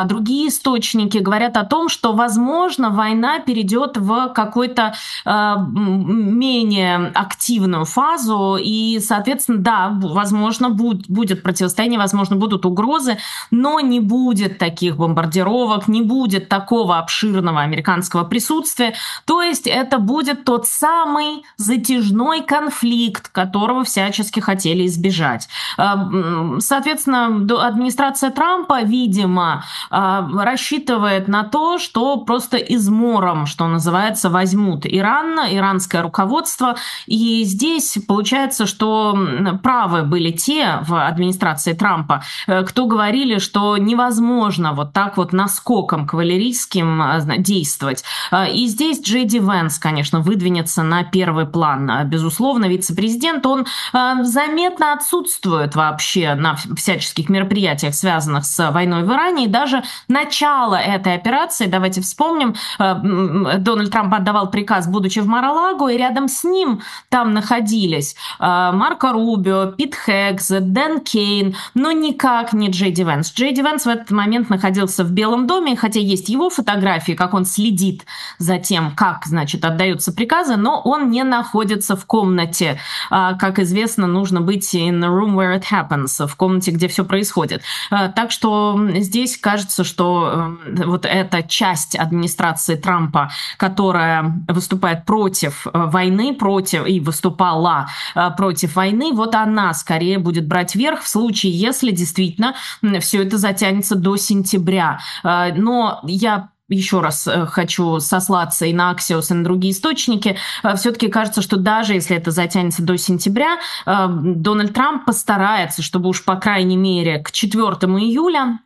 другие источники говорят о том, что, возможно, война перейдет в какую-то менее активную фазу, и, соответственно, да, возможно, будет противостояние, возможно, будут угрозы, но не будет таких бомбардировок, не будет такого обширного американского присутствия. То есть это будет тот самый затяжной конфликт, которого всячески хотели избежать. Соответственно, администрация Трампа, видимо, рассчитывает на то, что просто измором, что называется, возьмут Иран, иранское руководство. И здесь получается, что правы были те в администрации Трампа, кто говорили, что невозможно вот так вот наскоком кавалерийским действовать. И здесь Джей Ди Венс, конечно, выдвинется на первый план. Безусловно, вице-президент, он заметно отсутствует вообще на всяческих мероприятиях, связанных с войной в Иране. И даже начало этой операции, давайте вспомним, Дональд Трамп отдавал приказ, будучи в Мар-а-Лаго, и рядом с ним там находились Марко Рубио, Пит Хеггсет, Дэн Кейн, но никак не Джей Ди Венс. Джей Ди Венс в этот момент находился в Белом доме, хотя есть его фотографии, как он следит за тем, как, значит, отдаются приказы, но он не находится в комнате. Как известно, нужно быть in the room where it happens, в комнате, где все происходит. Так что здесь кажется, что вот эта часть администрации Трампа, которая выступает против войны, против и выступала против войны, вот она скорее будет брать верх в случае, если действительно все это затянется до сентября. Но я еще раз хочу сослаться и на Axios, и на другие источники. Все-таки кажется, что даже если это затянется до сентября, Дональд Трамп постарается, чтобы уж по крайней мере к четвёртому июля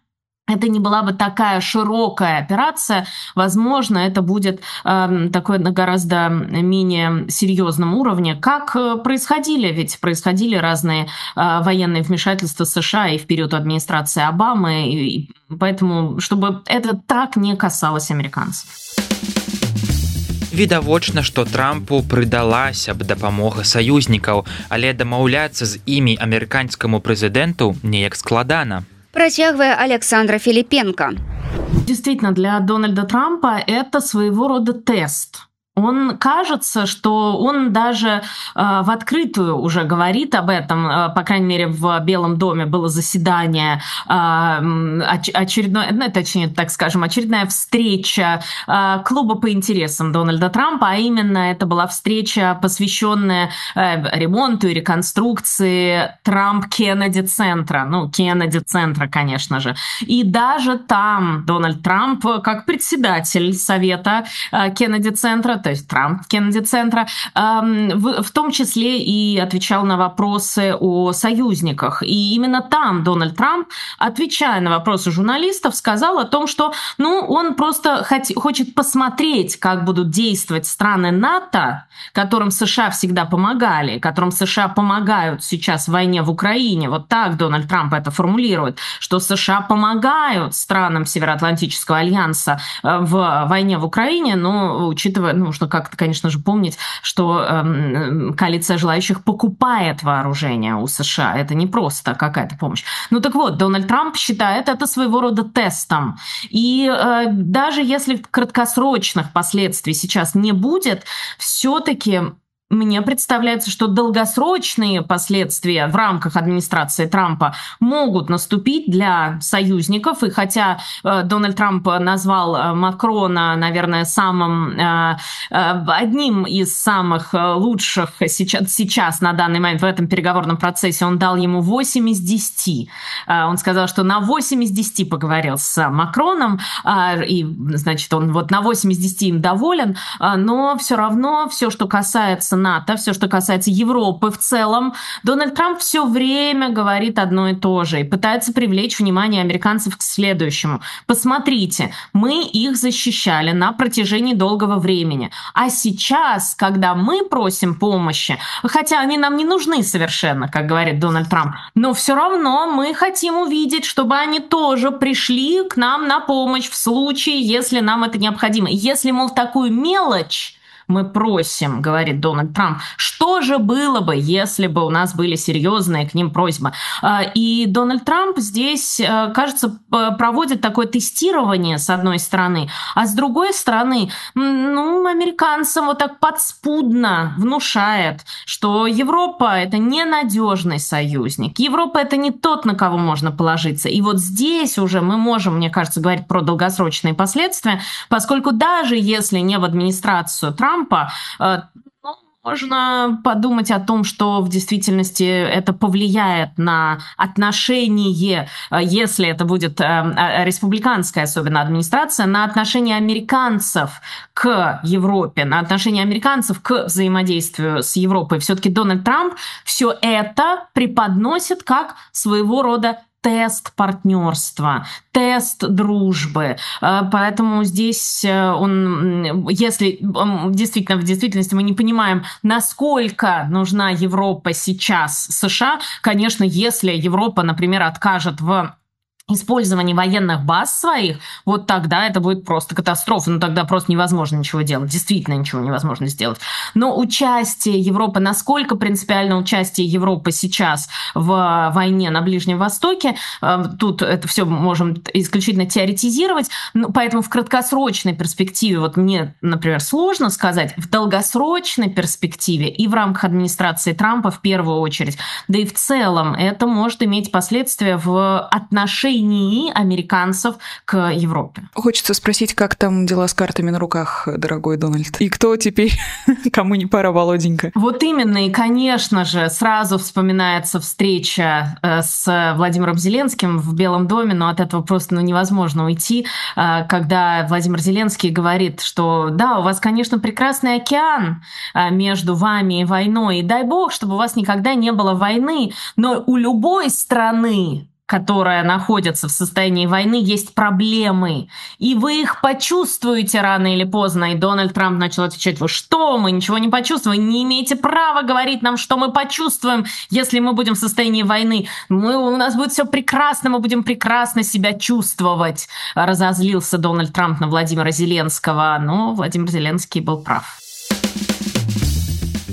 это не была бы такая широкая операция. Возможно, это будет э, такое на гораздо менее серьезном уровне, как происходили, ведь происходили разные э, военные вмешательства США и в период администрации Обамы, и, и поэтому, чтобы это так не касалось американцев. Відавочна, што Трампу прыдалася б дапамога саюзнікаў, але дамаўляцца з імі амерыканскаму прэзідэнту неяк складана. Протягивая Александра Филипенко. Действительно, для Дональда Трампа это своего рода тест. Он кажется, что он даже э, в открытую уже говорит об этом. Э, по крайней мере, в Белом доме было заседание, э, оч- очередное, ну, точнее, так скажем, очередная встреча э, клуба по интересам Дональда Трампа, а именно это была встреча, посвященная э, ремонту и реконструкции Трамп-Кеннеди-центра. Ну, Кеннеди-центра, конечно же. И даже там Дональд Трамп, как председатель совета э, Кеннеди-центра, то есть Трамп Кеннеди-центра, в том числе и отвечал на вопросы о союзниках. И именно там Дональд Трамп, отвечая на вопросы журналистов, сказал о том, что ну, он просто хочет посмотреть, как будут действовать страны НАТО, которым США всегда помогали, которым США помогают сейчас в войне в Украине. Вот так Дональд Трамп это формулирует, что США помогают странам Североатлантического альянса в войне в Украине, но учитывая, ну, нужно как-то, конечно же, помнить, что э, коалиция желающих покупает вооружение у США. Это не просто какая-то помощь. Ну так вот, Дональд Трамп считает это своего рода тестом. И э, даже если краткосрочных последствий сейчас не будет, все-таки мне представляется, что долгосрочные последствия в рамках администрации Трампа могут наступить для союзников. И хотя э, Дональд Трамп назвал Макрона, наверное, самым э, одним из самых лучших сейчас, сейчас на данный момент в этом переговорном процессе, он дал ему восемь из десяти. Э, он сказал, что на восемь из десяти поговорил с Макроном, э, и, значит, он вот на восемь из десяти им доволен, э, но все равно все, что касается НАТО, все, что касается Европы в целом, Дональд Трамп все время говорит одно и то же и пытается привлечь внимание американцев к следующему. Посмотрите, мы их защищали на протяжении долгого времени, а сейчас, когда мы просим помощи, хотя они нам не нужны совершенно, как говорит Дональд Трамп, но все равно мы хотим увидеть, чтобы они тоже пришли к нам на помощь в случае, если нам это необходимо. Если, мол, такую мелочь мы просим, говорит Дональд Трамп, что же было бы, если бы у нас были серьезные к ним просьбы? И Дональд Трамп здесь, кажется, проводит такое тестирование, с одной стороны, а с другой стороны, ну, американцам вот так подспудно внушает, что Европа — это ненадежный союзник, Европа — это не тот, на кого можно положиться. И вот здесь уже мы можем, мне кажется, говорить про долгосрочные последствия, поскольку даже если не в администрацию Трампа, ну, можно подумать о том, что в действительности это повлияет на отношение, если это будет республиканская, особенно администрация, на отношение американцев к Европе, на отношение американцев к взаимодействию с Европой. Все-таки Дональд Трамп все это преподносит как своего рода тест партнерства, тест дружбы. Поэтому здесь он, если действительно в действительности мы не понимаем, насколько нужна Европа сейчас США, конечно, если Европа, например, откажет в использовании военных баз своих, вот тогда это будет просто катастрофа. Ну, тогда просто невозможно ничего делать. Действительно ничего невозможно сделать. Но участие Европы, насколько принципиально участие Европы сейчас в войне на Ближнем Востоке, тут это все можем исключительно теоретизировать, поэтому в краткосрочной перспективе, вот мне, например, сложно сказать, в долгосрочной перспективе и в рамках администрации Трампа в первую очередь, да и в целом это может иметь последствия в отношении американцев к Европе. Хочется спросить, как там дела с картами на руках, дорогой Дональд? И кто теперь, кому не пара, Володенька? Вот именно, и, конечно же, сразу вспоминается встреча с Владимиром Зеленским в Белом доме, но от этого просто ну, невозможно уйти, когда Владимир Зеленский говорит, что да, у вас, конечно, прекрасный океан между вами и войной, и дай бог, чтобы у вас никогда не было войны, но у любой страны, которая находится в состоянии войны, есть проблемы. И вы их почувствуете рано или поздно. И Дональд Трамп начал отвечать: вы что, мы ничего не почувствуем, не имеете права говорить нам, что мы почувствуем, если мы будем в состоянии войны. Мы, у нас будет все прекрасно, мы будем прекрасно себя чувствовать. Разозлился Дональд Трамп на Владимира Зеленского, но Владимир Зеленский был прав.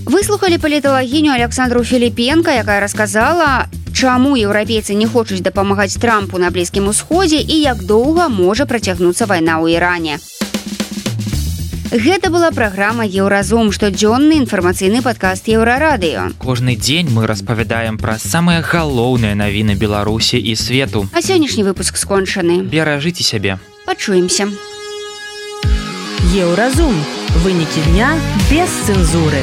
Выслухали паліталагіню Александру Філіпенка, якая расказала, чаму еўрапейцы не хочуць дапамагаць Трампу на Блізкім Усходзе і як доўга можа працягнуцца вайна ў Іране. Гэта была праграма «Еўразум», штодзённы інфармацыйны падкаст Еўрарадыё. Кожны дзень мы распавядаем пра самыя галоўныя навіны Беларусі і свету. А сённяшні выпуск скончаны. Беражыце сябе. Пачуемся. Еўразум. Вынікі дня без цэнзуры.